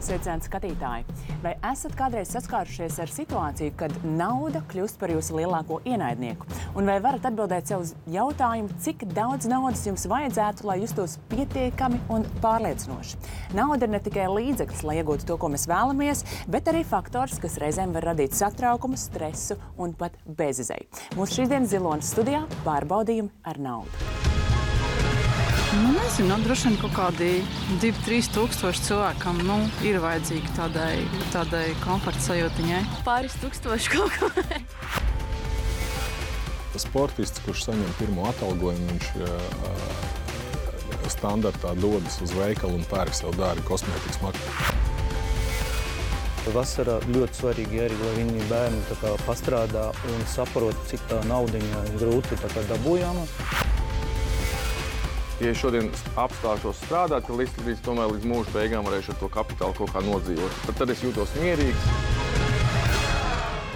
Sveicināti skatītāji! Vai esat kādreiz saskārušies ar situāciju, kad nauda kļūst par jūsu lielāko ienaidnieku? Un vai varat atbildēt sev uz jautājumu, cik daudz naudas jums vajadzētu, lai justos pietiekami un pārliecinoši? Nauda ir ne tikai līdzeklis, lai iegūtu to, ko mēs vēlamies, bet arī faktors, kas reizēm var radīt satraukumu, stresu un pat bezizeju. Mūsu šīsdienas Zilonas studijā pārbaudījumi ar naudu. Nezinu, droši vien kaut kādi 2-3 tūkstoši cilvēkam ir vajadzīgi tādai komforta sajūtiņai. Pāris tūkstoši kaut ko. Sportists, kurš saņem pirmo atalgojumu, viņš standartā dodas uz veikalu un pērk sev dārgu kosmētikas maktu. Vasarā ļoti svarīgi arī, lai viņi bērni pastrādā un saprot, cik tā naudiņa grūti dabūjama. Ja es šodien apstāšos strādāt, tad līdz mūža beigām varēšu ar to kapitālu kaut kā nodzīvot. Tad es jūtos mierīgs.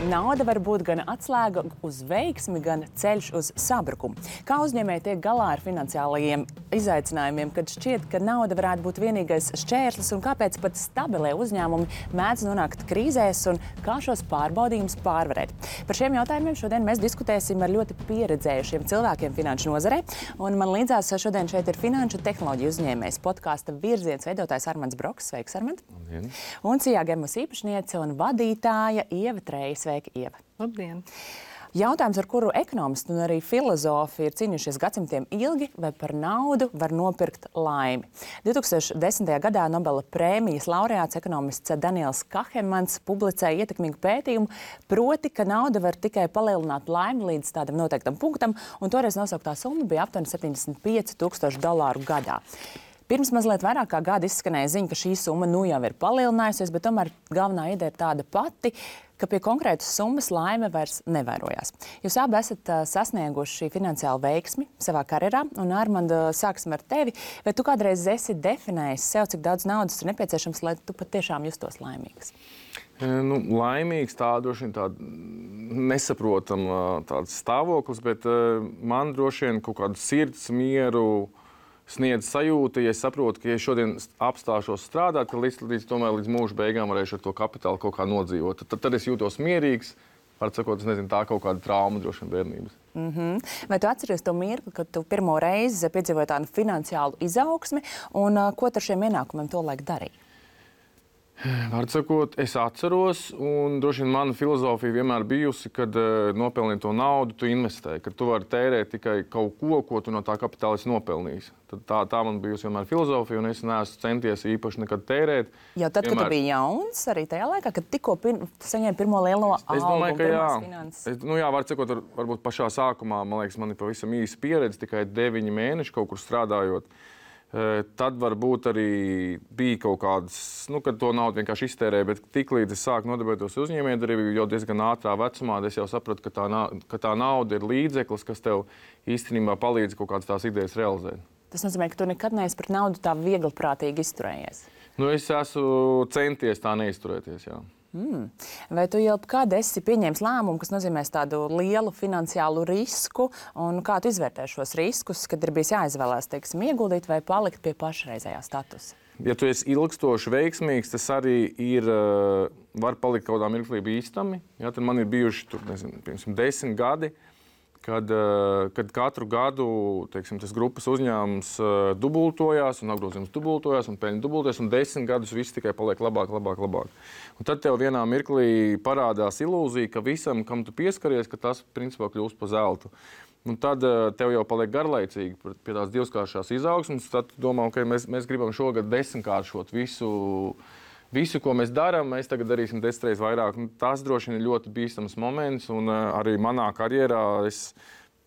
Nauda var būt gan atslēga uz veiksmi, gan ceļš uz sabrukumu. Kā uzņēmēji tiek galā ar finansiālajiem izaicinājumiem, kad šķiet, ka nauda varētu būt vienīgais šķērslis, un kāpēc pat stabilie uzņēmumi mēdz nonākt krīzēs un kā šos pārbaudījumus pārvarēt? Par šiem jautājumiem šodien mēs diskutēsim ar ļoti pieredzējušiem cilvēkiem finanšu nozarē, un man līdzās šodien šeit ir finanšu tehnoloģiju uzņēmējs, podkāsta Virziens veidotājs Armands Broks. Sveiks, Armand! Un Cijā Gemus īpašniece un vadītāja Ieva Treja. Sveika, Ieva! Labdien! Jautājums, ar kuru ekonomisti un arī filozofi ir cīnījušies gadsimtiem ilgi, vai par naudu var nopirkt laimi. 2010. gadā Nobela prēmijas laureāts ekonomists Daniels Kahemans publicēja ietekmīgu pētījumu, proti, ka nauda var tikai palielināt laimi līdz tādam noteiktam punktam, un toreiz nosauktā summa bija aptuveni $75,000 gadā. Pirms mazliet vairāk kā gada izskanēja ziņa, ka šī summa jau ir palielinājusies, bet tomēr galvenā ideja ir tāda pati, ka pie konkrētas summas laime vairs nevairojās. Jūs abi esat sasnieguši finansiālu veiksmi savā karjerā, un Armanda, sāksim ar tevi. Vai tu kādreiz esi definējis sev, cik daudz naudas ir nepieciešams, lai tu patiešām justos laimīgs? Laimīgs droši vien tāda nesaprotama tāds stāvoklis, bet man droši vien kaut kādu sirds mieru sniedz sajūta, ja es saprotu, ka ja šodien apstāšos strādāt, ka līdz mūža beigām varēšu ar to kapitālu kaut kā nodzīvot. Tad es jūtos mierīgs, var sakot, tā kaut kāda trauma droši vien bērnības. Vai tu atceries to mirkli, kad tu pirmo reizi piedzīvoji tādu finansiālu izaugsmi, un ko ar šiem ienākumiem tolaik darīji? Var sakot, es atceros, un droši vien mana filozofija vienmēr bijusi, kad nopelnīt to naudu, tu investē, ka tu vari tērēt tikai kaut ko tu no tā kapitāla esi nopelnījis. Tā man bijusi vienmēr filozofija, un es neesmu centies īpaši nekad tērēt. Jau tad, kad tu biji jauns, arī tajā laikā, kad tikko saņēmi pirmo lielo algu? Es domāju, ka jā. Var sakot, varbūt pašā sākumā, man liekas, man ir pavisam īsa pieredze, tikai 9 mēneši kaut kur strādājot. Tad varbūt arī bija kaut kādas, kad to naudu vienkārši iztērēja, bet tiklīdz es sāku nodarboties uzņēmējdarbību, jau diezgan ātrā vecumā, es jau sapratu, ka tā nauda ir līdzeklis, kas tev īstenībā palīdz kaut kādas tās idejas realizēt. Tas nozīmē, ka tu nekad neesi pret naudu tā viegliprātīgi izturējies? Es esmu centies tā neizturēties, jā. Vai tu jau kādu esi pieņēmis lēmumu, kas nozīmēs tādu lielu finansiālu risku, un kā tu izvērtē šos riskus, kad ir bijis jāizvēlās, teiksim, ieguldīt vai palikt pie pašreizējā statusa? Ja tu esi ilgstoši veiksmīgs, tas arī var palikt kaut kādā mirklī bīstami. Ja, tad man ir bijuši, 10 gadi, kad katru gadu, tas grupas uzņēmums dubultojās, un apgrozījums dubultojās, un peļņa dubultojās, un 10 gadus viss tikai paliek labāk. Un tad tev vienā mirklī parādās ilūzija, ka visam, kam tu pieskaries, ka tas principā kļūst par zeltu. Un tad tev jau paliek garlaicīgi pie tās divskāršās izaugsmes, tad tu domā, ka mēs gribam šogad 10-kāršot visu, ko mēs darām, mēs tagad darīsim 10 reizes vairāk. Tas droši vien ir ļoti bīstams moments, un arī manā karjerā es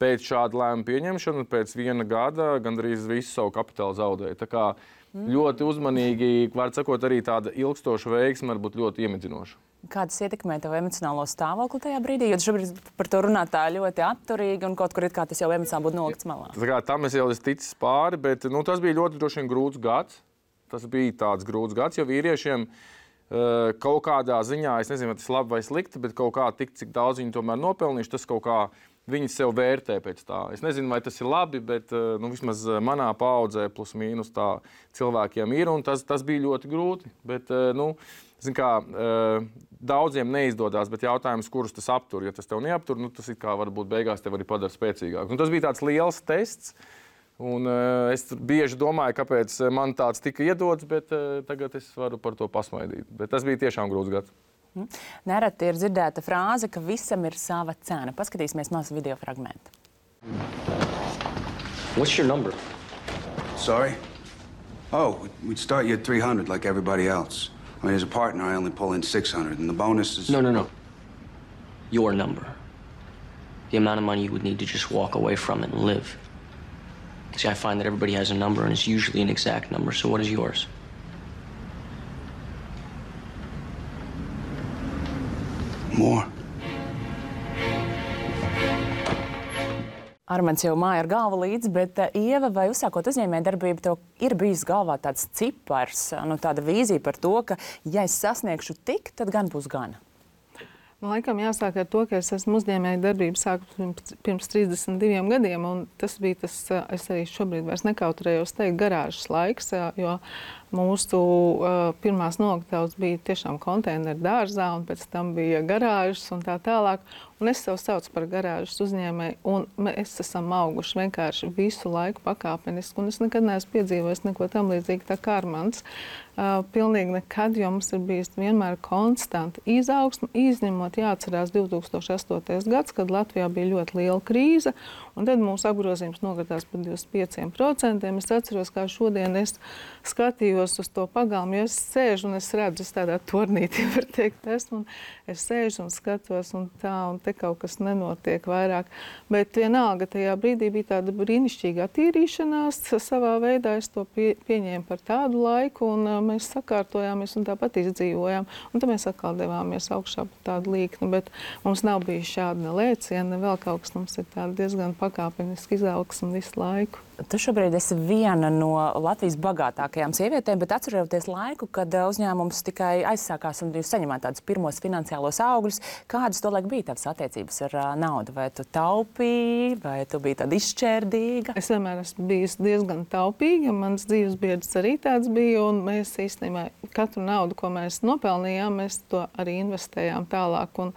pēc šāda lēmuma pieņemšanu, pēc 1 gada gandrīz visu savu kapitālu zaudēju. Tā kā ļoti uzmanīgi, var sakot, arī tāda ilgstoša veiksme var būt ļoti iemidzinoša. Kā tas ietekmē tavu emocionālo stāvokli tajā brīdī? Jo tu šobrīd par to runā tā ļoti atturīgi, un kaut kur it kā tas jau emocionāli būtu nolikts malā. Tam es jau esmu ticis pāri, bet tas bija ļoti droši vien grūts gads. Tas bija tāds grūts gads, jo vīriešiem kaut kādā ziņā, es nezinu, vai tas labi vai slikti, bet kaut kā tik, cik daudz viņi tomēr nopelnījuši, tas kaut kā viņi sev vērtē pēc tā. Es nezinu, vai tas ir labi, bet vismaz manā paaudzē plus mīnus tā cilvēkiem ir, un tas bija ļoti grūti. Bet, zin kā, daudziem neizdodas, bet jautājums, kurus tas aptur. Ja tas tev neaptur, tas it kā varbūt beigās tev arī padara spēcīgāk. Un tas bija tāds liels tests. Un, es bieži domāju, kāpēc man tāds tika iedots, bet tagad es varu par to pasmaidīt. Bet tas bija tiešām grūts gads. Nereti ir dzirdēta frāze, ka visam ir sava cena. Paskatīsimies mazu video fragmentu. What's your number? Sorry? Oh, we'd start you at 300 like everybody else. I mean, as a partner, I only pull in 600, and the bonus is... No. Your number. The amount of money you would need to just walk away from it and live. See, I find that everybody has a number, and it's usually an exact number. So what is yours? More. Armands jau māja ar galvu līdzi, bet Ieva, vai uzsākot uzņēmējdarbību, tev ir bijis galvā tāds cipars, tāda vīzija par to, ka, ja es sasniegšu tik, tad gan būs gana? Laikam jāsāk ar to, ka es esmu uzņēmējdarbību sāku pirms 32 gadiem, un tas bija tas, es arī šobrīd vairs nekautrējos teikt, garāžas laiks, jo mūsu pirmās noliktavas bija tiešām konteineru dārzā, un pēc tam bija garāžas un tā tālāk. Un es sev saucu par garāžas uzņēmēju, un mēs esam auguši vienkārši visu laiku pakāpeniski, un es nekad neesmu piedzīvojis neko tam līdzīgi tā kā Armands. Pilnīgi nekad, jo mums ir bijis vienmēr konstanti izaugsme, izņemot jāatcerās 2008. gads, kad Latvijā bija ļoti liela krīze, un tad mūsu apgrozījums nokritās par 25%. Es atceros, kā šodien es skatījos uz to pagalmu, jo es sēžu un es redzu, es tādā tornītī, var teikt, esmu, un es sēžu un skatos, un tā, un te kaut kas nenotiek vairāk. Bet vienalga tajā brīdī bija tāda brīnišķīga attīrīšanās, savā veidā es to pieņēmu par tādu laiku, un mēs sakārtojāmies un tāpat izdzīvojām. Un tad mēs atkal devāmies augšā par tādu līkni, bet mums nav bijis šāda ne lēciena, ne vēl kaut kas, mums ir tāda diezgan pakāpeniski izaugsme visu laiku. Tu šobrīd esi viena no Latvijas bagātākajām sievietēm, bet atceroties laiku, kad uzņēmums tikai aizsākās un jūs saņemāt tādus pirmos finansiālos augļus, kādas tolaik bija tavas attiecības ar naudu? Vai tu taupīji, vai tu biji tāda izšķērdīga? Es vienmēr esmu bijusi diezgan taupīga, mans dzīves biedrs arī tāds bija, un mēs īstenībā katru naudu, ko mēs nopelnījām, mēs to arī investējām tālāk. Un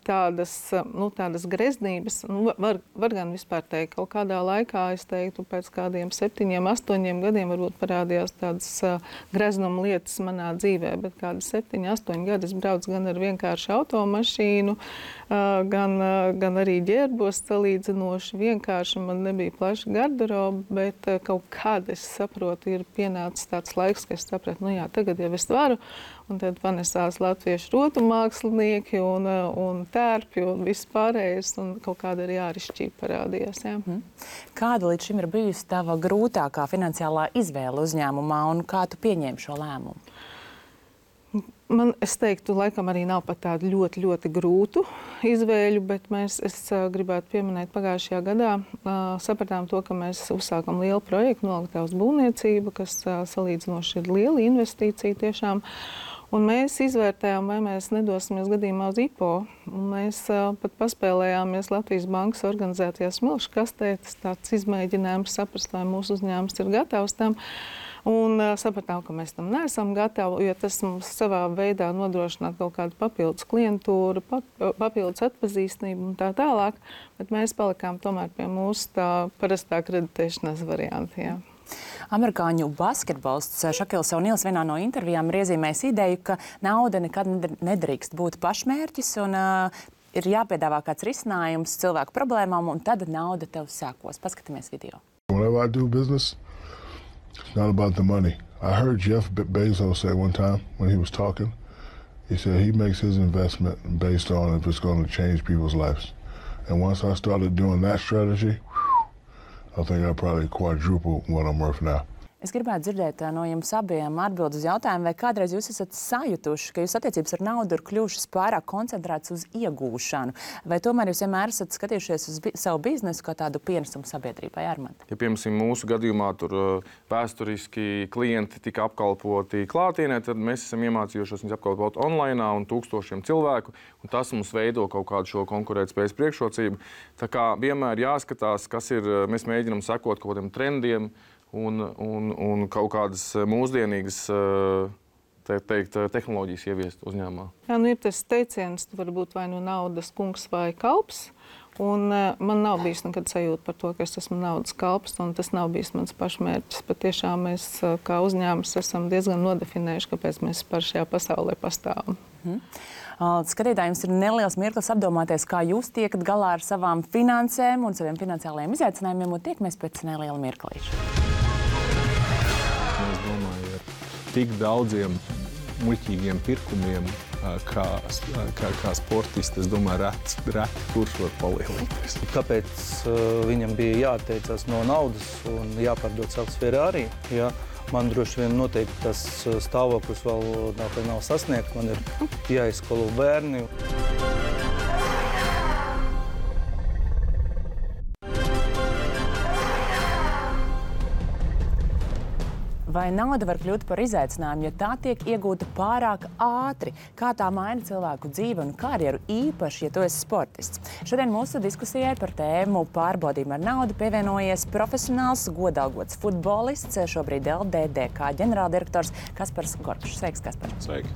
tādas greznības, var gan vispār teikt, kaut kādā laikā, es teiktu, pēc kādiem 7, 8 gadiem varbūt parādījās tādas greznuma lietas manā dzīvē, bet kādi 7, 8 gadi es braucu gan ar vienkāršu automašīnu, gan arī ģērbos salīdzinoši vienkārši, man nebija plaša garderoba, bet kaut kāda, es saprotu, ir pienācis tāds laiks, ka es sapratu, jā, tagad jau es varu, un tad panesās latviešu rotu mākslinieki un tērpi un viss pārējais, un kaut kāda arī ārišķība parādījās. Jā. Kāda līdz šim ir bijusi tava grūtākā finansiālā izvēle uzņēmumā, un kā tu pieņēmi šo lēmumu? Es teiktu, laikam arī nav pat tādu ļoti, ļoti grūtu izvēļu, bet es gribētu pieminēt pagājušajā gadā. Sapratām to, ka mēs uzsākam lielu projektu noliktavas būvniecību, kas salīdzinoši ir liela investīcija tiešām. Un mēs izvērtējām, vai mēs nedosimies gadījumā uz IPO. Un mēs pat paspēlējāmies Latvijas bankas organizētajā smilšu kastē. Tas tāds izmēģinājums saprast, vai mūsu uzņēmums ir gatavs tam. Un sapratām, ka mēs tam neesam gatavi, jo tas mums savā veidā nodrošināt kaut kādu papildus klientūru, papildus atpazīstamību un tā tālāk. Bet mēs palikām tomēr pie mūsu tā parastā kreditēšanās varianta. Jā. Amerikāņu basketbolists Šakils O'Nīls vienā no intervijām ir iezīmējis ideju, ka nauda nekad nedrīkst būt pašmērķis un ir jāpiedāvā kāds risinājums cilvēku problēmām, un tad nauda tev sekos. Paskatāmies video. Whenever I do business, it's not about the money. I heard Jeff Bezos say one time when he was talking, he said he makes his investment based on if it's going to change people's lives. And once I started doing that strategy, I think I probably quadrupled what I'm worth now. Es gribētu dzirdēt no jums abiem atbildi uz jautājumu, vai kādreiz jūs esat sajutuši, ka jūsu attiecības ar naudu ir kļuvušas pārāk koncentrētas uz iegūšanu, vai tomēr jūs vienmēr esat skatījušies uz savu biznesu kā tādu pienesumu sabiedrībai, Armand? Ja, piemēram, mūsu gadījumā tur vēsturiski klienti tika apkalpoti klātienē, tad mēs esam iemācījušies viņus apkalpot online un tūkstošiem cilvēku, un tas mums veido kaut kādu šo konkurētspējas priekšrocību. Tā kā vienmēr jāskatās, kas ir, mēs mēģinam sekot kaut kādiem trendiem, un kaut kādas mūsdienīgas tehnoloģijas ieviest uzņēmumā. Jā, ir tas teiciens, var būt vai nu naudas kungs vai kalps. Un man nav bijis nekad sajūta par to, ka es esmu naudas kalps, un tas nav bijis mans pašmērķis. Patiešām mēs kā uzņēmums esam diezgan nodefinējuši, kāpēc mēs par šajā pasaulē pastāvam. Skatītājiem ir neliels mirklis apdomāties, kā jūs tiekat galā ar savām finansēm un saviem finansiālajiem izaicinājumiem, un tiekamies pēc neliela mirklīša. Es domāju, ar tik daudziem muļķīgiem pirkumiem, kā sportisti, es domāju, reti kurš var palielināties. Kāpēc viņam bija jāatteicās no naudas un jāpārdod savs Ferrari? Ja man droši vien noteikti tas stāvoklis vēl nav sasniegts, man ir jāizskolo bērni. Vai nauda var kļūt par izaicinājumu, ja tā tiek iegūta pārāk ātri? Kā tā maina cilvēku dzīvi un karjeru, īpaši, ja tu esi sportists? Šodien mūsu diskusijai par tēmu pārbaudījumu ar naudu pievienojies profesionāls, godalgots futbolists, šobrīd LDDK ģenerāldirektors Kaspars Gorkšs. Sveiks, Kaspar! Sveiki!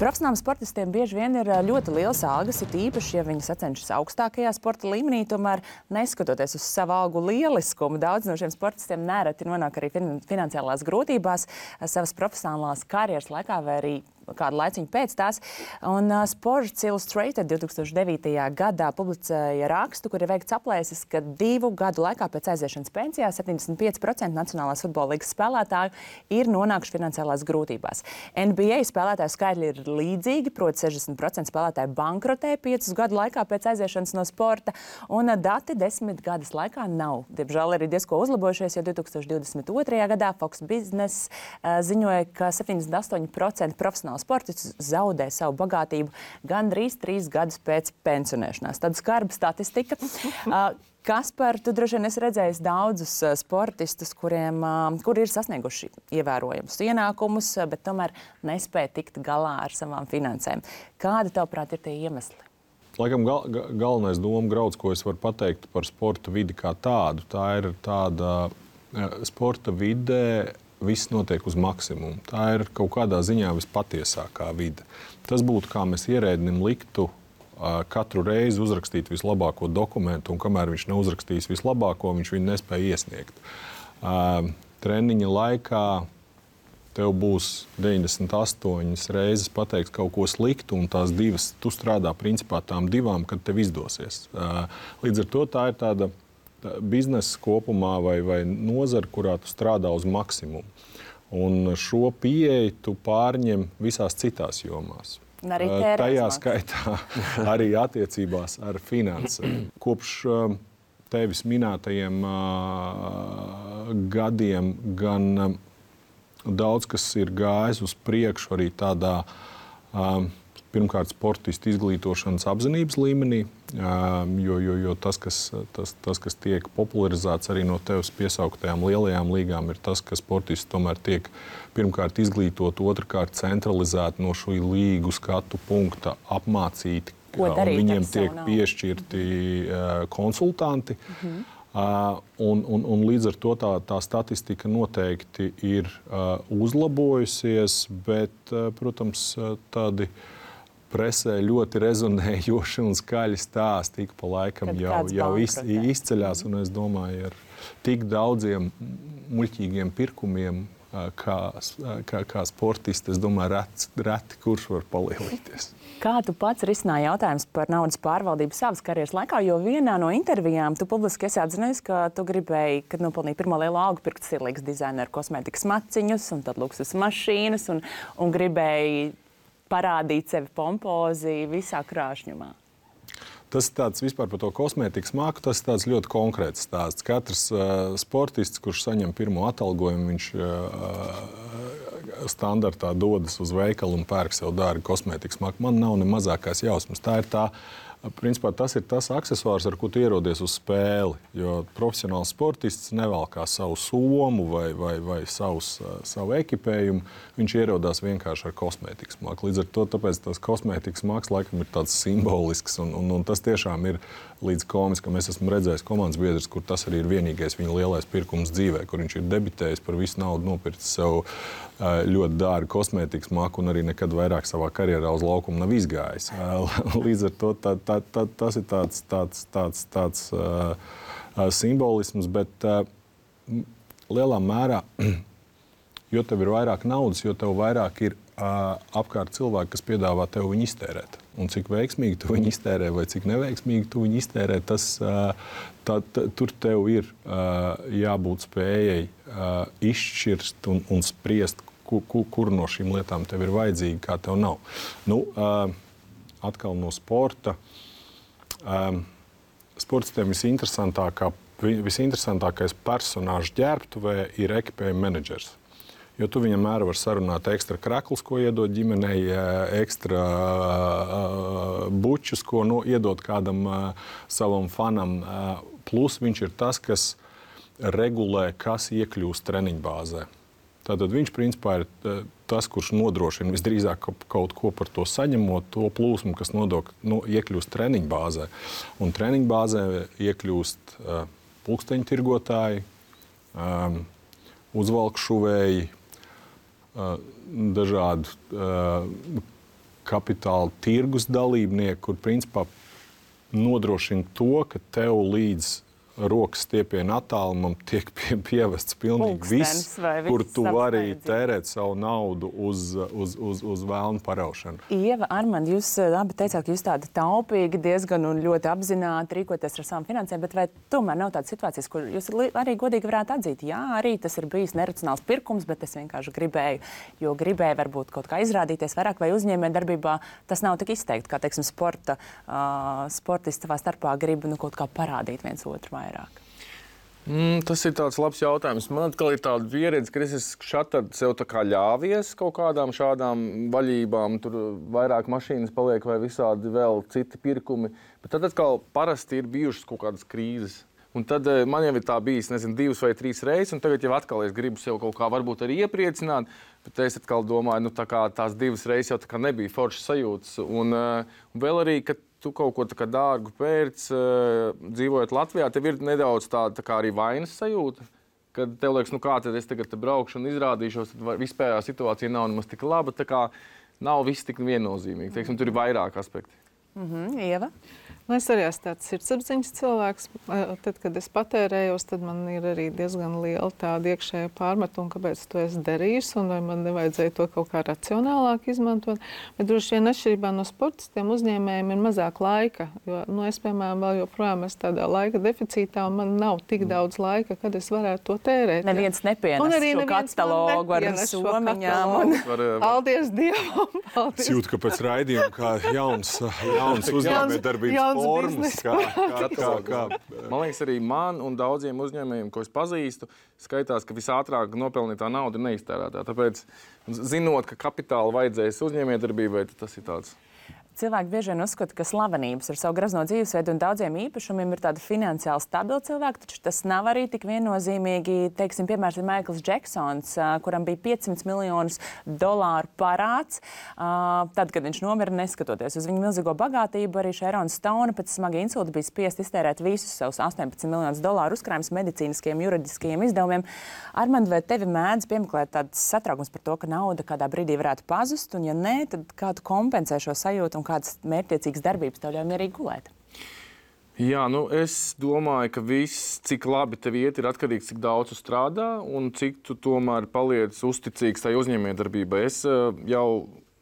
Profesionāliem sportistiem bieži vien ir ļoti liels algas, it īpaši, ja viņi sacenšas augstākajā sporta līmenī, tomēr neskatoties uz savu algu lieliskumu, daudz no šiem sportistiem nereti nonāk arī finansiālās grūtībās savas profesionālās karjeras laikā vai arī kādu laiciņu pēc tās. Un Sports Illustrated 2009. gadā publicēja rakstu, kur ir veikts aplēses, ka 2 gadu laikā pēc aiziešanas pensijā 75% Nacionālās futbola līgas spēlētāju ir nonākuši finansiālās grūtībās. NBA spēlētāju skaitļi ir līdzīgi, proti 60% spēlētāju bankrotē 5 gadu laikā pēc aiziešanas no sporta, un dati 10 gadus laikā nav. Diemžēl arī diezko uzlabojušies, jo 2022. gadā Fox Business ziņoja, ka 78% profesionāli sportists zaudē savu bagātību gandrīz 3 gadus pēc pensionēšanās. Tāda skarba statistika. Kaspar, tu droši vien esi redzējis daudzus sportistus, kuri ir sasnieguši ievērojamus ienākumus, bet tomēr nespēja tikt galā ar savām finansēm. Kādi, tavuprāt, ir tie iemesli? Laikam galvenais doma grauds, ko es varu pateikt par sporta vidi kā tādu, tā ir tāda sporta vidē, viss notiek uz maksimumu. Tā ir kaut kādā ziņā vispatiesākā vide. Tas būtu, kā mēs ierēdnim liktu katru reizi uzrakstīt vislabāko dokumentu, un kamēr viņš neuzrakstīs vislabāko, viņš viņu nespēja iesniegt. Treniņa laikā tev būs 98 reizes pateikt kaut ko sliktu, un tās 2, tu strādā principā tām 2, kad tev izdosies. Līdz ar to tā ir tāda biznesa kopumā vai nozara, kurā tu strādā uz maksimumu. Un šo pieeju tu pārņem visās citās jomās. Tajā skaitā arī attiecībās ar finansēm. Kopš tevis minētajiem gadiem gan daudz kas ir gājis uz priekšu arī tādā pirmkārt sportistu izglītošanas apzinības līmenī, jo tas, kas tiek popularizēts arī no tevis piesauktajām lielajām līgām, ir tas, ka sportisti tomēr tiek pirmkārt izglītot, otrkārt centralizēti no šī līgu skatu punkta apmācīti, un viņiem tiek piešķirti konsultanti. Un līdz ar to tā statistika noteikti ir uzlabojusies, bet, protams, tādi presē ļoti rezonējoši un skaļi stāsti ik pa laikam jau izceļās. Un es domāju, ar tik daudziem muļķīgiem pirkumiem, kā sportisti, es domāju, reti kurš var palielīties. Kā tu pats risināji jautājums par naudas pārvaldību savas karjeras laikā, jo vienā no intervijām tu publiski esi atzinājis, ka tu gribēji, kad nopelnīji pirmo lielo algu, pirkt stilīgas dizaineru kosmētikas maciņus un tad luksus mašīnas un gribēji parādīt sevi pompozi visā krāšņumā? tas tāds vispār par to kosmētikas māku, tas tāds ļoti konkrēts stāsts. Katrs sportists, kurš saņem pirmo atalgojumu, viņš standartā dodas uz veikalu un pērk sev dārgu kosmētikas māku. Man nav ne mazākās jausmas. Principā tas ir tas aksesuārs, ar ko tu ierodies uz spēli. Jo profesionāls sportists nevalkā savu somu vai savu ekipējumu. Viņš ierodās vienkārši ar kosmētikas māku. Līdz ar to tāpēc tas kosmētikas māks laikam ir tāds simbolisks. Un tas tiešām ir līdz komiskam. Es esmu redzējis komandas biedrs, kur tas arī ir vienīgais viņa lielais pirkums dzīvē, kur viņš ir debitējis par visu naudu, nopircis sev ļoti dārgu kosmētikas māku un arī nekad vairāk savā karjerā uz laukumu nav izgājis. Līdz ar to tas ir tāds simbolisms, bet lielā mērā, jo tev ir vairāk naudas, jo tev vairāk ir apkārt cilvēki, kas piedāvā tev viņu iztērēt. Un cik veiksmīgi tu viņu iztērē vai cik neveiksmīgi tu viņu iztērē, tur tev ir jābūt spējai izšķirst un spriest, kur no šīm lietām tev ir vajadzīga, kā tev nav. Atkal no sporta. Sportistiem visinteresantākais personāžs ģērbtuvē ir ekipējuma menedžers. Jo tu viņam mēra var sarunāt ekstra kraklus, ko iedod ģimenei, ekstra bučus, ko iedod kādam savam fanam. Plus viņš ir tas, kas regulē, kas iekļūst treniņbāzē. Tātad viņš principā ir tas, kurš nodrošina visdrīzāk kaut ko par to saņemot, to plūsmu, kas iekļūst treniņbāzē. Un treniņbāzē iekļūst pulksteņtirgotāji, uzvalkšuvēji, dažādi kapitāla tirgus dalībnieki, kur principā nodrošina to, ka tev līdz rokas stiepiena attālumam tiek pievests pilnīgi viss, kur tu vari tērēt savu naudu uz vēlnu paraušanu. Ieva, Armand, jūs abi teicāt, ka jūs tādi taupīgi diezgan un ļoti apzināti rīkoties ar savām finansēm, bet vai tomēr nav tādas situācijas, kur jūs arī godīgi varētu atzīt, jā, arī tas ir bijis neracionāls pirkums, bet es vienkārši gribēju varbūt kaut kā izrādīties vairāk, vai uzņēmējdarbībā tas nav tik izteikti, kā, teiksim, sportisti savā starpā grib kaut kā parādīt viens otru vairāk? Tas ir tāds labs jautājums. Man atkal ir tāda pieredze, ka es esmu šatad sev tā kā ļāvies kaut kādām šādām vaļībām. Tur vairāk mašīnas paliek vai visādi vēl citi pirkumi. Bet tad atkal parasti ir bijušas kaut kādas krīzes. Un tad man jau ir tā bijis, 2 vai 3 reizes, un tagad jau atkal es gribu sev kaut kā varbūt arī iepriecināt, bet es atkal domāju, tā kā tās 2 reizes jau tā kā nebija foršas sajūtas. Un vēl arī, ka tu kaut ko tā kā dārgu pērc, dzīvojot Latvijā, tev ir nedaudz tā kā arī vainas sajūta, kad tev liekas, kā tad es tagad braukšu un izrādīšos, tad vispējā situācija nav nemaz tik laba, tā kā nav viss tik viennozīmīgi. Teiksim, tur ir vairāk aspekti. Ieva? Es arī esmu tāds sirdsapziņas cilvēks. Tad, kad es patērējos, tad man ir arī diezgan liela tāda iekšējā pārmetuma, kāpēc to es darīju, un vai man nevajadzēja to kaut kā racionālāk izmantot. Bet droši vien atšķirībā no sportistiem uzņēmējiem ir mazāk laika. Jo, es, piemēram, vēl joprojām esmu tādā laika deficītā, un man nav tik daudz laika, kad es varētu to tērēt. Neviens nepienes šo katalogu ar somiņām. Paldies Dievam! Es jūtu, ka pēc raidījuma kā jauns uzņēmējdarbības formas. Man liekas, arī man un daudziem uzņēmējiem, ko es pazīstu, skaitās, ka visātrāk nopelnītā nauda ir neiztērētā. Tāpēc, zinot, ka kapitāla vajadzēs uzņēmējdarbībai, tas ir tāds. Cilvēki bieži vien uzskata, ka slavenības ar savu grazno dzīvesveidu un daudziem īpašumiem ir tādi finansiāli stabili cilvēki, taču tas nav arī tik viennozīmīgi. Teiksim, piemērs ir Maikls Džeksons, kuram bija $500 miljonus parāds. Tad, kad viņš nomira, neskatoties uz viņu milzīgo bagātību, arī Šerona Stone pēc smaga insulta bija spiest iztērēt visus savus $18 miljonus uzkrājumus medicīniskiem, juridiskajiem izdevumiem. Armand, vai tevi mēdz piemeklēt tāds satraukums par to, ka nauda kādā brīdī varētu pazust, un ja nē, tad kā tu kompensē šo sajūtu un kādas mērķtiecīgas darbības tev ļauj mierīgi gulēt? Jā, es domāju, ka viss, cik labi tev iet, ir atkarīgs, cik daudz tu strādā un cik tu tomēr paliec uzticīgs tai uzņēmējdarbībai. Es jau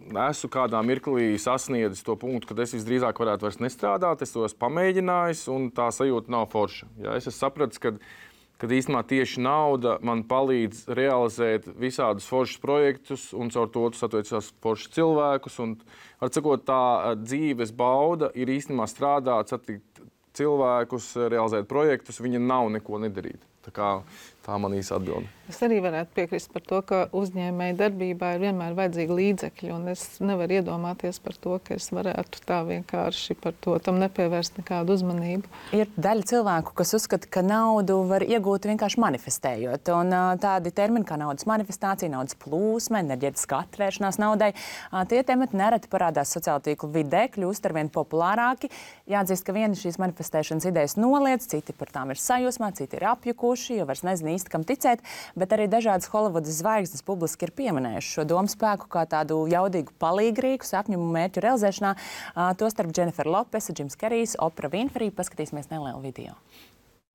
esmu kādā mirklī sasniedzis to punktu, kad es visdrīzāk varētu vairs nestrādāt, es to esmu pamēģinājis un tā sajūta nav forša. Jā, es esmu sapratis, ka kad īstenībā tieši nauda man palīdz realizēt visādus foršus projektus un caur to satiecās foršus cilvēkus. Un, var sakot, tā dzīves bauda ir īstenībā strādāt, satikt cilvēkus, realizēt projektus, viņa nav neko nedarīt. Tā man īsa atbilde. Es arī varētu piekrist par to, ka uzņēmēja darbībā ir vienmēr vajadzīgi līdzekļi, un es nevaru iedomāties par to, ka es varētu tā vienkārši par to tam nepievērst nekādu uzmanību. Ir daļa cilvēku, kas uzskata, ka naudu var iegūt vienkārši manifestējot, un tādi termini kā naudas manifestācija, naudas plūsma, enerģētiskā atvēršanās naudai, tie temati nereti parādās sociālo tīklu vidē, kļūst arvien populārāki. Jāatzīst, ka viena šīs manifestēšanas idejas noliedz, citi par tām ir sajūsmā, citi ir apjukuši, jo vairs nezinu īsti, kam ticēt, bet arī dažādas Holivudas zvaigznes publiski ir pieminējuši šo domu spēku kā tādu jaudīgu palīgrīku sapņu un mērķu realizēšanā. Tostarp Jennifer Lopes, Jims Kerijs, Oprah Winfrey. Paskatīsimies nelielu video.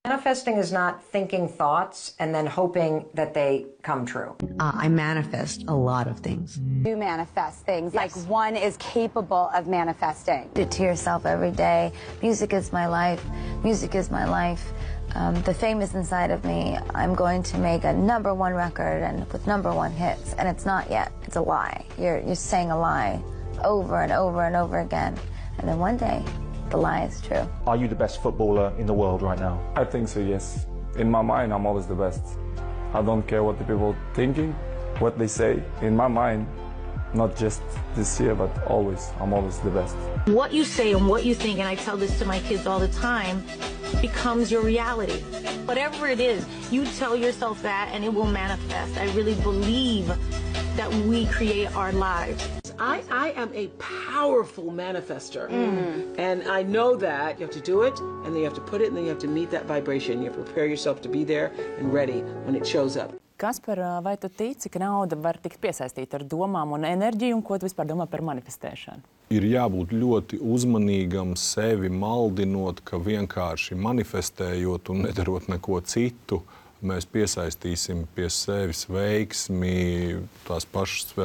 Manifesting is not thinking thoughts and then hoping that they come true. I manifest a lot of things. You manifest things, like one is capable of manifesting. To yourself every day. Music is my life. Music is my life. The fame is inside of me. I'm going to make a #1 record and with #1 hits, and it's not yet. It's a lie. You're saying a lie over and over and over again, and then one day, the lie is true. Are you the best footballer in the world right now? I think so, yes. In my mind, I'm always the best. I don't care what the people thinking, what they say. In my mind, not just this year, but always, I'm always the best. What you say and what you think, and I tell this to my kids all the time, becomes your reality. Whatever it is, you tell yourself that and it will manifest. I really believe that we create our lives. I am a powerful manifester. And I know that you have to do it, and then you have to put it, and then you have to meet that vibration. You have to prepare yourself to be there and ready when it shows up. Kaspar, vai tu tici, ka nauda var tikt piesaistīta ar domām un enerģiju, un ko tu vispār domā par manifestēšanu? Ir jābūt ļoti uzmanīgam sevi maldinot, ka vienkārši manifestējot un nedarot neko citu, mēs piesaistīsim pie sevis veiksmi, tās pašas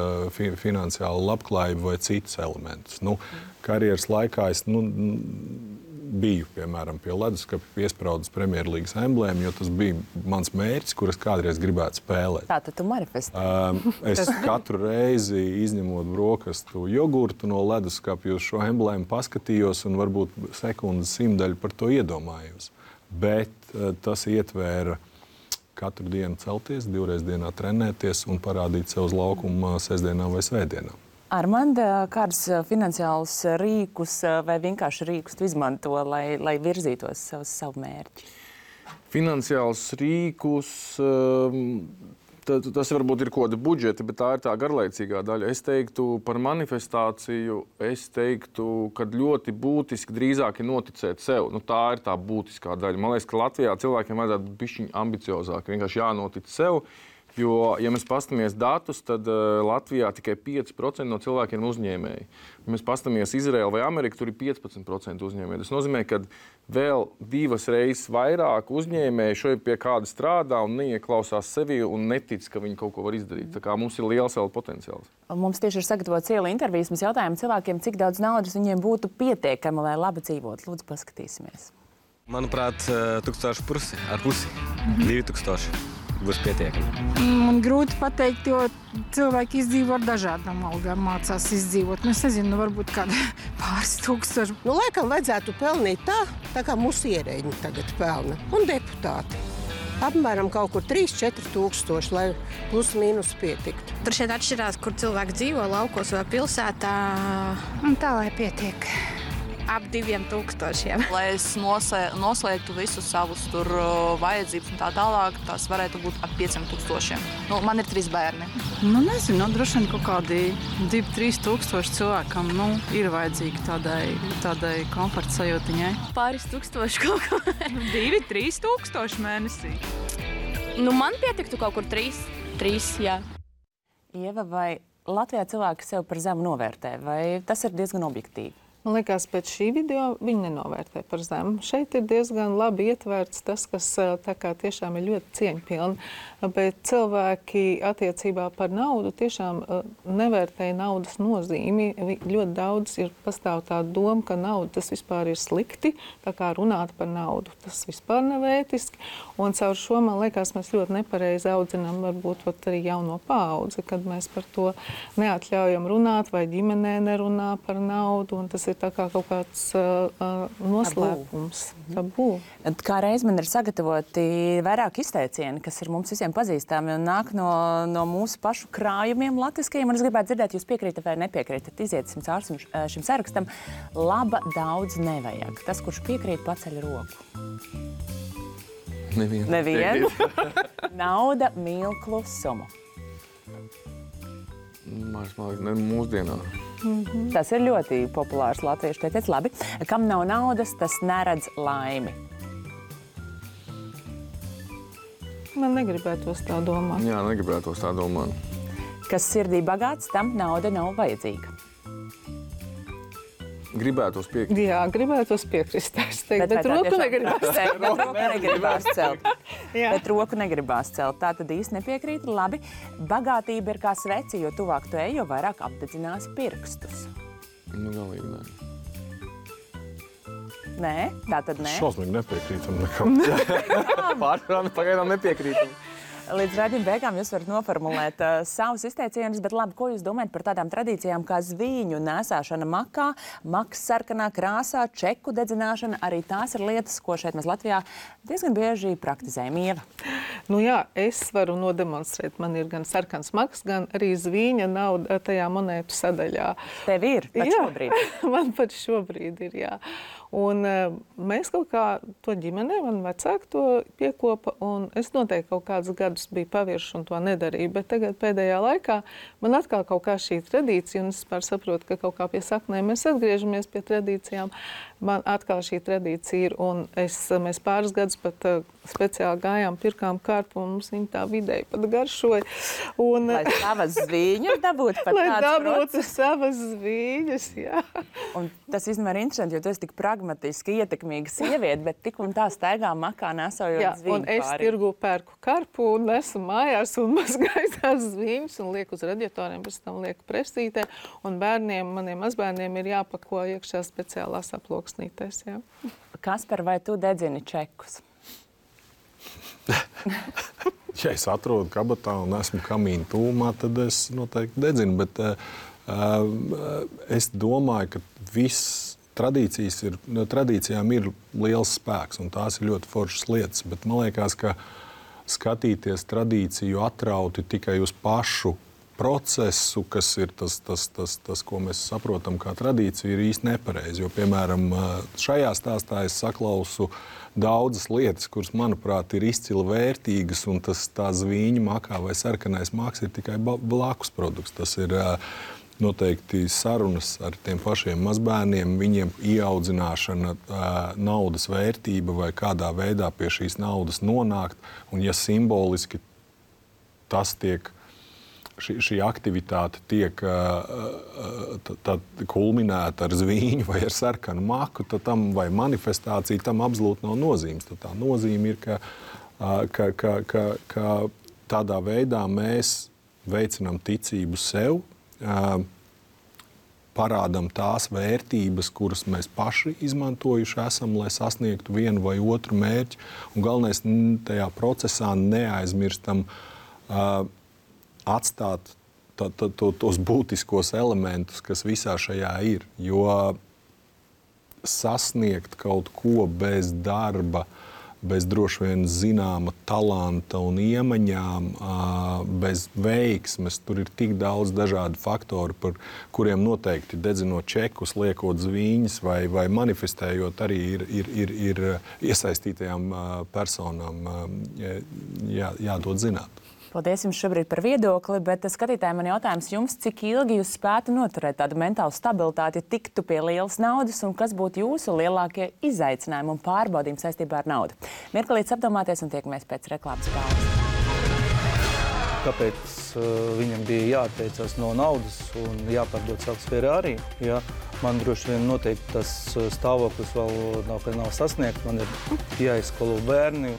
finansiālu labklājību vai citus elementus. Karjeras laikā es biju, piemēram, pie leduskapa piespraudas Premjerlīgas emblēmu, jo tas bija mans mērķis, kuras kādreiz gribētu spēlēt. Tātad tu manifestē. Es katru reizi, izņemot brokastu jogurtu no leduskapa, uz šo emblēmu paskatījos un varbūt sekundes simtaļu par to iedomājos. Bet tas ietvēra katru dienu celties, 2 reizes dienā trenēties un parādīt sev uz laukuma sestdienā vai svētdienā. Armanda, kādus finansiālus rīkus vai vienkārši rīkus tu izmanto, lai virzītos savu mērķi? Finansiālus rīkus, tas varbūt ir kaut kāda budžeta, bet tā ir tā garlaicīgā daļa. Es teiktu par manifestāciju, ka ļoti būtiski drīzāk ir noticēt sev. Tā ir tā būtiskā daļa. Man liekas, ka Latvijā cilvēkiem vajadzētu būt bišķiņ ambiciozāk, vienkārši jānotic sev. Jo, ja mēs paskatāmies datus, tad Latvijā tikai 5% no cilvēkiem ir uzņēmēji. Ja mēs paskatāmies Izraelu vai Ameriku, tur ir 15% uzņēmēji. Tas nozīmē, ka vēl 2 reizes vairāk uzņēmēji šobrīd pie kāda strādā un neieklausās sevi un netic, ka viņi kaut ko var izdarīt. Tā kā mums ir liels vēl potenciāls. Mums tieši ir sagatavots iela intervijas. Mēs jautājām cilvēkiem, cik daudz naudas viņiem būtu pietiekami, lai labi dzīvot. Lūdzu, paskatīsimies. Manuprāt, 1000 ar pusi, 2000. Būs pietiekami. Man grūti pateikt, jo cilvēki izdzīvo ar dažādām algām, mācās izdzīvot. Es nezinu, varbūt kāda pāris tūkstoši. Laikam vajadzētu pelnīt tā kā mūsu ierēģi tagad pelna. Un deputāti. Apmēram kaut kur 3-4 tūkstoši, lai plus mīnus pietiktu. Tur šeit atšķirās, kur cilvēki dzīvo, laukos vai pilsētā. Un tā, lai pietiek. Ap 2000. Lai es noslēgtu visus savus tur vajadzības un tā tālāk, tās varētu būt ap 5000. Man ir 3 bērni. Nezinu, droši vien kaut kādi 2-3 tūkstoši cilvēkam ir vajadzīgi tādai komforta sajūtiņai. Pāris tūkstoši kaut ko. 2-3 tūkstoši mēnesī. Man pietiktu kaut kur 3, jā. Ieva, vai Latvijā cilvēki sev par zemu novērtē, vai tas ir diezgan objektīvi? Man liekas, pēc šī video viņi nenovērtē par zemu. Šeit ir diezgan labi ietverts tas, kas tā kā tiešām ir ļoti cieņpilni. Bet cilvēki attiecībā par naudu tiešām nevērtēja naudas nozīmi. Ļoti daudz pastāv tā doma, ka nauda tas vispār ir slikti, tā kā runāt par naudu. Tas vispār nav ētiski. Un caur šo, man liekas, mēs ļoti nepareizi audzinām varbūt arī jauno paudzi, kad mēs par to neatļaujam runāt vai ģimenē nerunā par naudu. Un tas ir tā kā kaut kāds noslēpums, tabū. Kā reiz man ir sagatavoti vairāk izteicieni, kas ir mums visiem pazīstami un nāk no mūsu pašu krājumiem latviskajiem. Un es gribētu dzirdēt, jūs piekrītat vai nepiekrītat. Iziesim cauri šim sarakstam. Laba daudz nevajag. Tas, kurš piekrīt, paceļ roku. Nevienu. Nauda mīl klusumu. Mūsdienā. Tas ir ļoti populārs latviešu teiciens. Labi. Kam nav naudas, tas neredz laimi. Man negribētos tā domāt. Jā, negribētos tā domāt. Kas sirdī bagāts, tam nauda nav vajadzīga. Gribētos piekrist. Jā, gribētos piekrist. Bet roku negribās celt. Bet roku negribās celt. Tā tad īsti nepiekrīt. Labi. Bagātība ir kā sveci, jo tuvāk tu ej, jo vairāk apdedzinās pirkstus. Galīgi nē. Nē? Tā tad nē? Šausmīgi nepiekrītam nekam. Pārsvarā pagaidām nepiekrītam. Līdz raidījuma beigām jūs varat noformulēt savus izteicienus, bet labi, ko jūs domājat par tādām tradīcijām kā zvīņu nēsāšana makā, makas sarkanā krāsā, čeku dedzināšana, arī tās ir lietas, ko šeit mēs Latvijā diezgan bieži praktizējam. Ieva? Nu jā, es varu nodemonstrēt. Man ir gan sarkans maks, gan arī zvīņa nauda tajā monētu sadaļā. Tev ir pat šobrīd? Man pat šobrīd ir, jā. Un mēs kaut kā to ģimenē, man vecāki to piekopa, un es noteikti kaut kādus gadus biju pavirši un to nedarīju, bet tagad pēdējā laikā man atkal kaut kā šī tradīcija, un es saprotu, ka kaut kā pie saknēm mēs atgriežamies pie tradīcijām. Man atkal šī tradīcija ir, un mēs pāris gadus pat speciāli gājām, pirkām karpu, un mums viņa tā vidēji pat garšoja. Lai savas zvīņas dabūtu pat tāds process. Lai dabūtu savas zvīņas, jā. Un tas īstenībā ir interesanti, jo tu esi tik pragmatiski ietekmīga sieviete, bet tik un tā staigā makā nesojot zvīņu pāri. Un es tirgu pērku karpu un nesu mājās un mazgāju tās zvīņas un lieku uz radiatoriem, pēc tam lieku presītē. Un bērniem, maniem mazbērniem ir jāpako iekšā speciālās aploksnītēs, jā. Kaspar, vai tu dedzini čekus? Ja es atrodu kabatā un esmu kamīna tūmā, tad es noteikti dedzinu, bet es domāju, ka tradīcijām ir liels spēks, un tās ir ļoti foršas lietas, bet man liekas, ka skatīties tradīciju atrauti tikai uz pašu procesu, kas ir tas, ko mēs saprotam kā tradīciju, ir īsti nepareizi. Jo, piemēram, šajā stāstā es saklausu daudzas lietas, kuras, manuprāt, ir izcili vērtīgas, un tā zvīņa makā vai sarkanais maks ir tikai blakus produkts. Tas ir noteikti sarunas ar tiem pašiem mazbērniem, viņiem ieaudzināšana, naudas vērtība vai kādā veidā pie šīs naudas nonākt. Un ja simboliski tas tiek, šī aktivitāte tiek kulminēta ar zvīņu vai ar sarkanu maku, tad tam vai manifestācija tam absolūti nav nozīmes. Tad tā nozīme ir, ka tādā veidā mēs veicinām ticību sev, parādam tās vērtības, kuras mēs paši izmantojuši esam, lai sasniegtu vienu vai otru mērķi. Un galvenais tajā procesā neaizmirstam atstāt tos būtiskos elementus, kas visā šajā ir. Jo sasniegt kaut ko bez darba, bez droši vien zināma talanta un iemaņām, bez veiksmes, tur ir tik daudz dažādu faktoru, par kuriem noteikti dedzinot čekus, liekot zvīņas vai manifestējot arī ir iesaistītajām personām jādod zināt. Paldies jums šobrīd par viedokli, bet skatītājiem man jautājums jums, cik ilgi jūs spētu noturēt tādu mentālu stabilitāti, ja tiktu pie lielas naudas, un kas būtu jūsu lielākie izaicinājumi un pārbaudījumi saistībā ar naudu? Mirklītis apdomāties un tiekamies pēc reklāmas pauzes. kāpēc viņam bija jāatteicās no naudas un jāpārdod savs Ferrari. Ja? Man droši vien noteikti tas stāvoklis vēl nav sasniegts. Man ir jāizskolo bērni.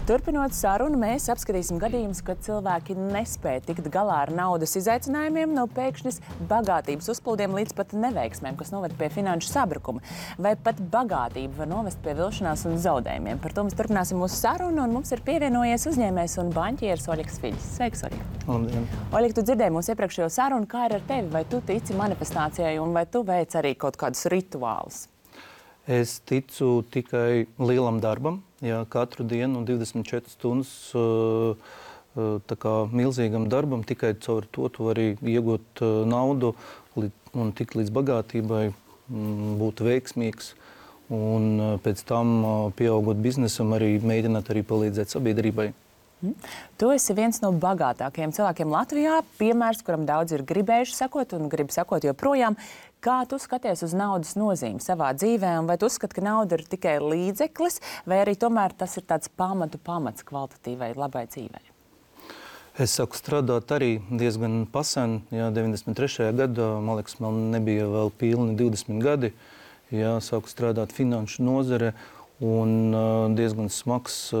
Turpinot sarunu, mēs apskatīsim gadījumus, kad cilvēki nespēja tikt galā ar naudas izaicinājumiem, no pēkšņas bagātības uzplūdiem līdz pat neveiksmēm, kas noved pie finanšu sabrukuma. Vai pat bagātība var novest pie vilšanās un zaudējumiem. Par to mēs turpināsim mūsu sarunu, un mums ir pievienojies uzņēmējs un baņķieris Oļegs Fiļs. Sveiks, Oļeg! Labdien! Oļeg, tu dzirdēji mūsu iepriekšējo sarunu, kā ir ar tevi? Vai tu tici manifestācijai un vai tu veic arī kaut kādus rituālus? Es ticu tikai lielam darbam, katru dienu 24 stundas tā kā milzīgam darbam. Tikai caur to tu vari iegūt naudu un tikt līdz bagātībai, būt veiksmīgs. Un pēc tam, pieaugot biznesam, arī mēģināt arī palīdzēt sabiedrībai. Tu esi viens no bagātākajiem cilvēkiem Latvijā, piemērs, kuram daudz ir gribējuši sekot un grib sekot joprojām. Kā tu skaties uz naudas nozīmi savā dzīvē, un vai tu uzskati, ka nauda ir tikai līdzeklis, vai arī tomēr tas ir tāds pamats kvalitatīvai labai dzīvei? Es sāku strādāt arī diezgan pasen, 93. gadā, man liekas, man nebija vēl pilni 20 gadi. Sāku strādāt finanšu nozare, un diezgan smags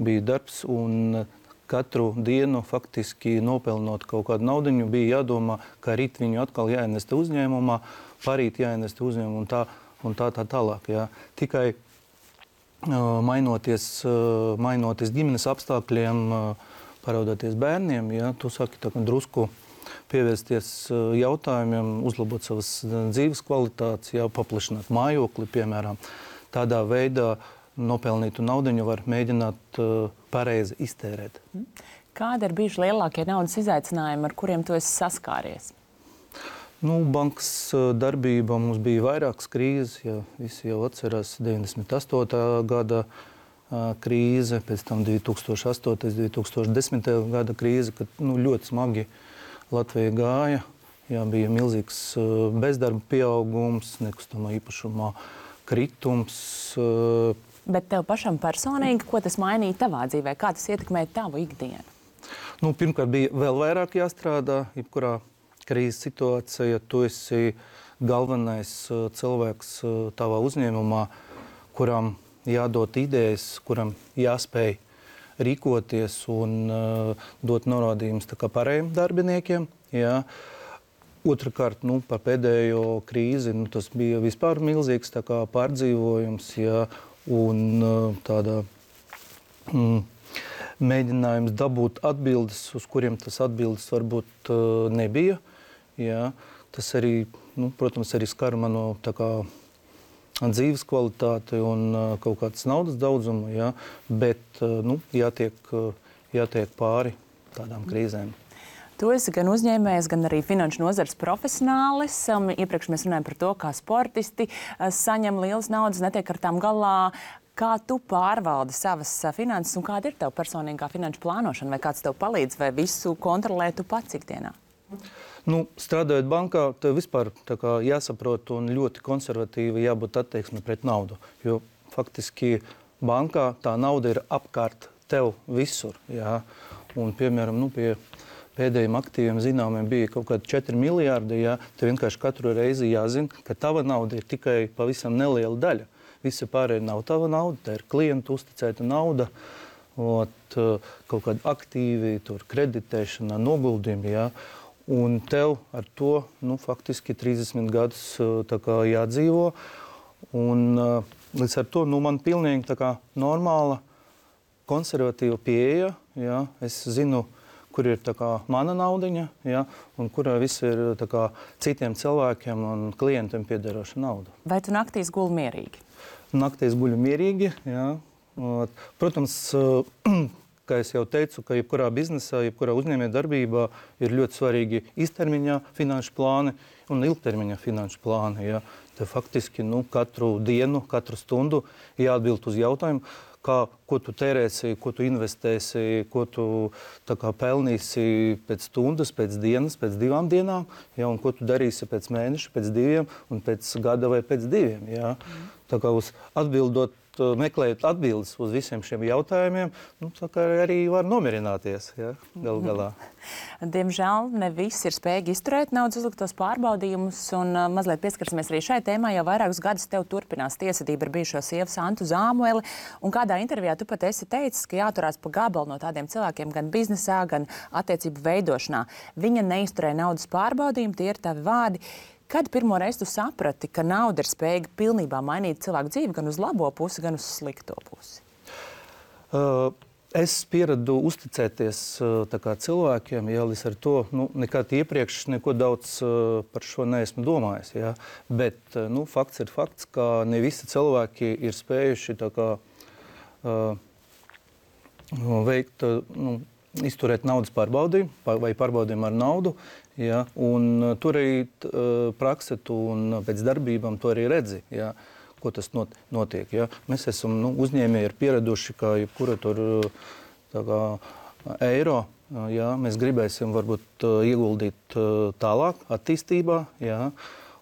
bija darbs, un katru dienu faktiski nopelnot kaut kādu naudiņu, bija jādomā, ka rīt viņu atkal jāienesta uzņēmumā, parīt jāienesta uzņēmumā un tā tālāk. Jā. Tikai mainoties ģimenes apstākļiem, paraudoties bērniem, tu sāki tā, drusku pievērsties jautājumiem, uzlabot savas dzīves kvalitātes, paplašināt mājokli, piemēram. Tādā veidā nopelnītu naudiņu var mēģināt pareizi iztērēt. Kādi ir bijuši lielākie naudas izaicinājumi, ar kuriem tu esi saskāries? Bankas darbība mums bija vairākas krīzes. Visi jau atcerās 98. gada krīze, pēc tam 2008. 2010. gada krīze, kad ļoti smagi Latvija gāja. Bija milzīgs bezdarba pieaugums, nekustamā īpašumā kritums. Bet tev pašam personīgi, ko tas mainīja tavā dzīvē? Kā tas ietekmēja tavu ikdienu? Pirmkārt, bija vēl vairāk jāstrādā, jebkurā krīzes situācijā. Tu esi galvenais cilvēks tavā uzņēmumā, kuram jādod idejas, kuram jāspēj rīkoties un dot norādījumus pārējiem darbiniekiem. Otrakārt, par pēdējo krīzi, tas bija vispār milzīgs pārdzīvojums, un tāda mēģinājums dabūt atbildes, uz kuriem tas atbildes varbūt nebija. Tas arī, protams, arī skar manu dzīves kvalitāti un kaut kādas naudas daudzumu, bet jātiek pāri tādām krīzēm. Tu esi gan uzņēmējs, gan arī finanšu nozares profesionālis. Iepriekš mēs runājam par to, kā sportisti saņem lielas naudas, netiek ar tām galā. Kā tu pārvaldi savas finanses un kāda ir tev personīgā finanšu plānošana? Vai kāds tev palīdz, vai visu kontrolē tu pats ikdienā? Strādājot bankā, tev vispār jāsaprot un ļoti konservatīvi jābūt attieksme pret naudu. Jo faktiski bankā tā nauda ir apkārt tev visur. Un, piemēram, pie pēdējiem aktīviem zināmiem bija kaut kādi 4 miljārdi. Tev vienkārši katru reizi jāzina, ka tava nauda ir tikai pavisam neliela daļa. Visa pārējā nav tava nauda, tā ir klientu uzticēta nauda. Kaut kādi aktīvi, kreditēšana, noguldījumi. Un tev ar to faktiski 30 gadus jādzīvo. Un līdz ar to man pilnīgi normāla, konservatīva pieeja. Es zinu, kur ir mana naudiņa, un kurā viss ir citiem cilvēkiem un klientiem piederoša nauda. Vai tu naktīs guli mierīgi? Naktīs guļu mierīgi, Protams, kā es jau teicu, ka jebkurā biznesā, jebkurā uzņēmē darbībā ir ļoti svarīgi īstermiņā finanšu plāni un ilgtermiņā finanšu plāni. Te faktiski katru dienu, katru stundu jāatbild uz jautājumu, ko tu tērēsi, ko tu investēsi, ko tu pelnīsi pēc stundas, pēc dienas, pēc 2 dienām, ja, un ko tu darīsi pēc mēneša, pēc 2 un pēc gada vai pēc 2. Ja. Tā kā meklējot atbildes uz visiem šiem jautājumiem, arī var nomierināties, ja, galu galā. Diemžēl ne visi ir spējīgi izturēt naudas uzliktos pārbaudījumus, un mazliet pieskarsimies arī šai tēmai. Jau vairākus gadus tev turpinās tiesvedība ar bijušo sievu Santu Zāmueli, un kādā intervijā tu pat esi teicis, ka jāturās pa gabalu no tādiem cilvēkiem gan biznesā, gan attiecību veidošanā. Viņa neizturēja naudas pārbaudījumu, tie ir tavi vārdi. Kad pirmo reizi tu saprati, ka nauda ir spējīga pilnībā mainīt cilvēku dzīvi gan uz labo pusi, gan uz slikto pusi? Es pieradu uzticēties cilvēkiem, ja līdz ar to nekad iepriekš neko daudz par šo neesmu domājis. Ja. Bet fakts ir fakts, ka ne visi cilvēki ir spējuši izturēt naudas pārbaudījumu vai pārbaudījumu ar naudu. Ja, un tur arī prakse un pēc darbībām to arī redzi, ja, ko tas notiek. Ja. Mēs esam uzņēmēji ir pieraduši, ka jebkura tur eiro, ja, mēs gribēsim varbūt ieguldīt tālāk attīstībā, ja,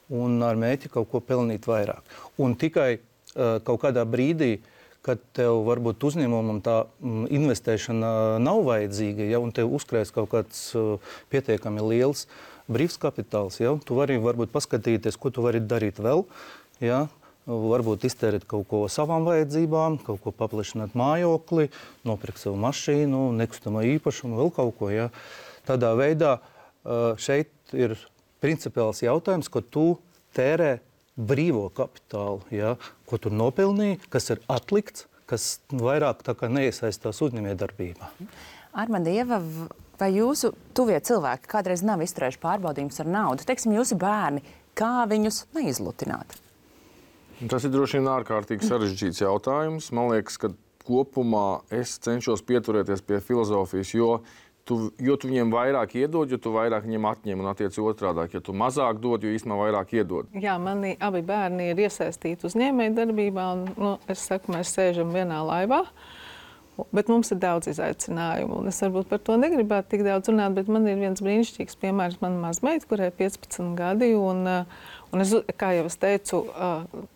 un ar mērķi kaut ko pelnīt vairāk. Un tikai kaut kādā brīdī, kad tev varbūt uzņēmumam tā investēšana nav vajadzīga, ja, un tev uzkrājas kaut kāds pietiekami liels brīvs kapitāls, ja, tu vari varbūt paskatīties, ko tu vari darīt vēl, ja, varbūt iztērēt kaut ko savām vajadzībām, kaut ko paplašināt mājokli, nopirkt savu mašīnu, nekustamo īpašumu, vēl kaut ko. Ja. Tādā veidā šeit ir principiāls jautājums, ko tu tērē brīvo kapitālu, ja, ko tur nopelnīja, kas ir atlikts, kas vairāk neiesaistās uzņēmējdarbībā. Armanda, Ieva, vai jūsu tuvie cilvēki kādreiz nav izturējuši pārbaudījumus ar naudu? Teiksim, jūsu bērni, kā viņus neizlutināt? Tas ir droši vien ārkārtīgi sarežģīts jautājums. Man liekas, ka kopumā es cenšos pieturēties pie filozofijas, jo tu viņiem vairāk iedod, jo tu vairāk viņiem atņem un attiec otrādāk. Ja tu mazāk dod, jo īstenībā vairāk iedod. Jā, mani abi bērni ir iesaistīti uzņēmēju darbībā, un es saku, mēs sēžam vienā laivā, bet mums ir daudz izaicinājumu. Un es varbūt par to negribētu tik daudz runāt, bet man ir viens brīnišķīgs piemērs, mana mazmeita, kurai 15 gadi, un es, kā jau es teicu,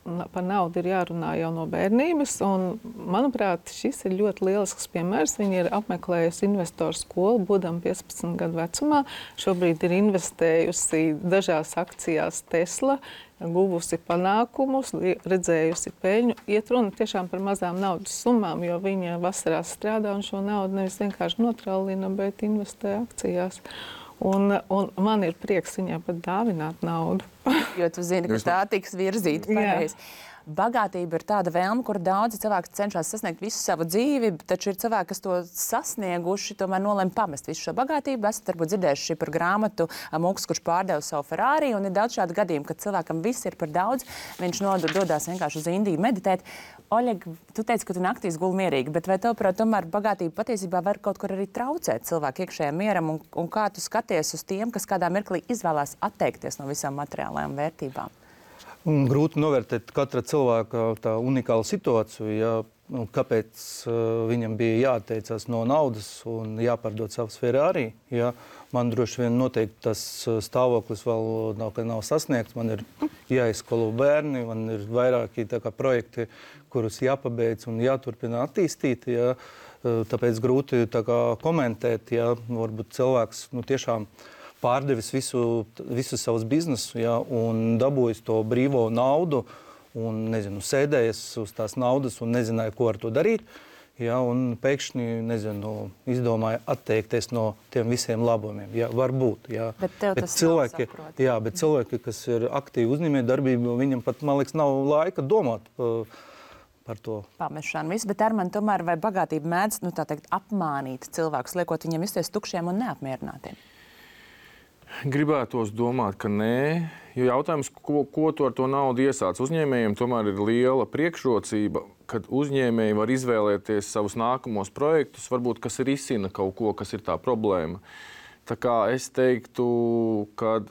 par naudu ir jārunā jau no bērnības, un, manuprāt, šis ir ļoti lielisks piemērs. Viņa ir apmeklējusi investoru skolu, būdama 15 gadu vecumā. Šobrīd ir investējusi dažās akcijās Tesla, guvusi panākumus, redzējusi peļņu. Iet runa tiešām par mazām naudas summām, jo viņa vasarās strādā un šo naudu nevis vienkārši notrallina, bet investē akcijās. Un man ir prieks viņai pat dāvināt naudu. Jo tu zini, ka tā tiks virzīta pareizi. Bagātība ir tāda vēlme, kur daudzi cilvēki cenšas sasniegt visu savu dzīvi, taču ir cilvēki, kas to sasnieguši, tomēr nolem pamest visu šo bagātību. Esat varbūt dzirdējuši par grāmatu Mūks, kurš pārdeva savu Ferrari, un ir daudz šādu gadījumu, kad cilvēkam viss ir par daudz, viņš dodās vienkārši uz Indiju meditēt. Oļeg, tu teici, ka tu naktīs guli mierīgi, bet vai tavuprāt, tomēr bagātība patiesībā var kaut kur arī traucēt cilvēku iekšējiem mieram, un kā tu skaties uz tiem, kas kādā mirklī izvēlās atteikties no visām materiālajām vērtībām? Grūti novērtēt katra cilvēka tā unikālu situāciju, ja, kāpēc viņam bija jāatteicās no naudas un jāpārdod savs Ferrari. Ja. Man droši vien noteikti tas stāvoklis vēl nav sasniegts. Man ir jāizskolo bērni, man ir vairāki projekti, kurus jāpabeidz un jāturpina attīstīt. Ja. Tāpēc grūti komentēt, ja varbūt cilvēks tiešām pārdevis visu savus biznesu, ja, un dabūjis to brīvo naudu un, sēdējies uz tās naudas un nezināja, ko ar to darīt. Ja, un pēkšņi, izdomāja atteikties no tiem visiem labumiem. Ja, varbūt, ja. Bet tev tas nav saprot. Jā, bet cilvēki, kas ir aktīvi uzņēmējdarbībā, viņam pat, man liekas, nav laika domāt par to. Pamešanu visu, bet Armand, tomēr vai bagātība mēdz, apmānīt cilvēkus, liekot viņiem justies tukšiem un neapmierinātiem? Gribētos domāt, ka nē, jo jautājums, ko tu ar to naudu iesāc. Uzņēmējiem tomēr ir liela priekšrocība, kad uzņēmēji var izvēlēties savus nākamos projektus, varbūt kas risina kaut ko, kas ir tā problēma. Tā kā es teiktu, ka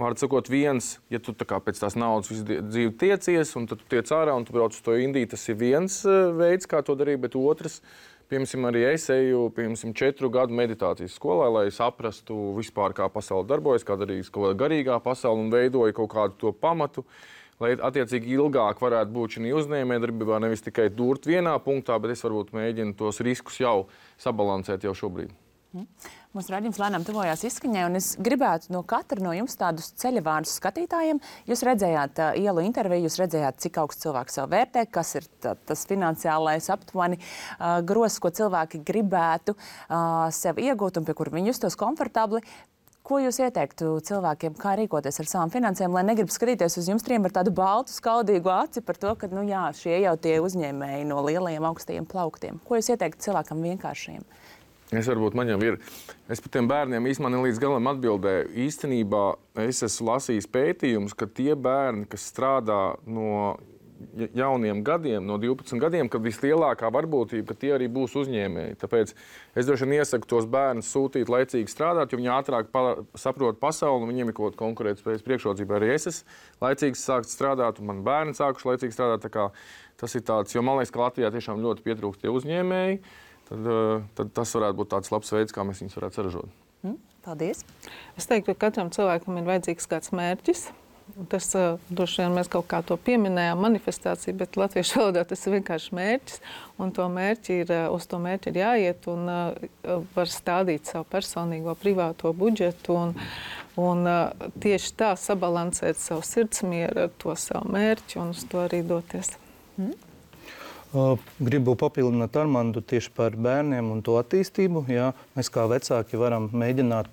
var sakot, viens, ja tu tā kā pēc tās naudas visu dzīvi tiecies, un tad tu tiec ārā un tu brauc uz to Indiju, tas ir viens veids, kā to darīt, bet otrs, piemēram, arī es eju, 4 gadu meditācijas skolā, lai saprastu vispār, kā pasaule darbojas, kā darīs kaut kāda garīgā pasaule un veidoja kaut kādu to pamatu, lai attiecīgi ilgāk varētu būt šī uzņēmējdarbībā, nevis tikai durt vienā punktā, bet es varbūt mēģinu tos riskus jau sabalansēt jau šobrīd. Mūsu raidījums lēnām tuvojās izskaņai, un es gribētu no katra no jums tādus ceļavārdus skatītājiem. Jūs redzējāt ielu interviju, jūs redzējāt, cik augsts cilvēks sev vērtē, kas ir tas finansiālais aptuveni grozs, ko cilvēki gribētu sev iegūt un pie kur viņi justos komfortabli. Ko jūs ieteiktu cilvēkiem, kā rīkoties ar savām finansēm, lai negrib skatīties uz jums trim ar tādu baltu, skaudīgu aci par to, ka, šie jau tie uzņēmēji no lielajiem augstajiem plauktiem? Ko jūs ieteiktu cilvēkam vienkāršiem? Man jau ir. Es par tiem bērniem īstenībā līdz galam atbildēju. Īstenībā es esmu lasījis pētījumus, ka tie bērni, kas strādā no jauniem gadiem, no 12 gadiem, kad vislielākā varbūtība, ka tie arī būs uzņēmēji. Tāpēc es droši vien iesaku tos bērnus sūtīt laicīgi strādāt, jo viņi ātrāk saprot pasauli un viņiem ir kaut kāda konkurētspējas priekšrocība. Arī es esmu laicīgi sākt strādāt un mani bērni sākuši laicīgi strādāt. Tā kā tas ir tāds, jo man liekas, ka Latvijā tiešām ļoti pietrūkst tie uzņēmēji. Tad tas varētu būt tāds labs veids, kā mēs viņus varētu saražot. Paldies! Es teiktu, ka katram cilvēkam ir vajadzīgs kāds mērķis. Tas droši vien mēs kaut kā to pieminējām, manifestācija, bet latviešu valodā tas ir vienkārši mērķis. Un uz to mērķi ir jāiet un var stādīt savu personīgo privāto budžetu un tieši tā sabalansēt savu sirdsmieru ar to savu mērķi un uz to arī doties. Gribu papildināt Armandu tieši par bērniem un to attīstību. Jā. Mēs kā vecāki varam mēģināt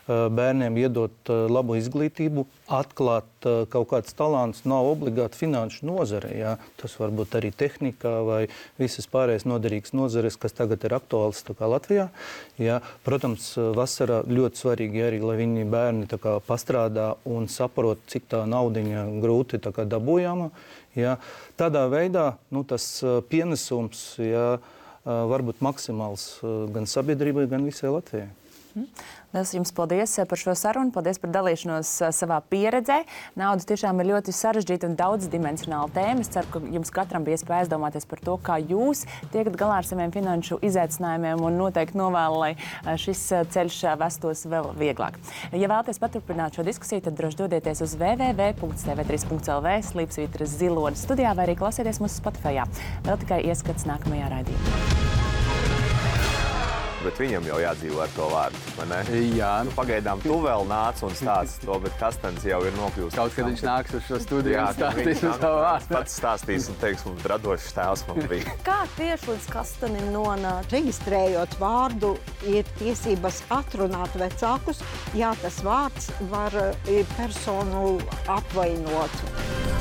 bērniem iedot labu izglītību, atklāt kaut kāds talants, nav obligāti finanšu nozare. Jā. Tas var būt arī tehnikā vai visas pārējās noderīgas nozares, kas tagad ir aktuāls Latvijā. Jā. Protams, vasarā ļoti svarīgi arī, lai viņi bērni pastrādā un saprot, cik tā naudiņa grūti dabūjama. Jā. Tādā veidā tas pienesums var būt maksimāls gan sabiedrībai, gan visai Latvijai. Liels jums paldies par šo sarunu, paldies par dalīšanos savā pieredzē. Nauda tiešām ir ļoti sarežģīta un daudzdimensionāla tēma. Es ceru, ka jums katram bija iespēja aizdomāties par to, kā jūs tiekat galā ar saviem finanšu izaicinājumiem un noteikti novēlu, lai šis ceļš vestos vēl vieglāk. Ja vēlaties paturpināt šo diskusiju, tad droši dodieties uz www.tv3.lv /zilonis studijā vai arī klausieties mūsu Spotifyā. Vēl tikai ieskats nākamajā raidījumā. Bet viņam jau jādzīvo ar to vārdu, vai ne? Jā. Pagaidām tu vēl nāc un stāsti to, bet Kastens jau ir nokļūst. Kaut kad viņš nāks uz šo studiju un stāstīs uz savu vārdu. Pats stāstīs un teiks, mums radošs tēls man bija. Kā tieši līdz Kastenim nonākt? Reģistrējot vārdu, ir tiesības atrunāt vecākus. Jā, tas vārds var personu apvainot.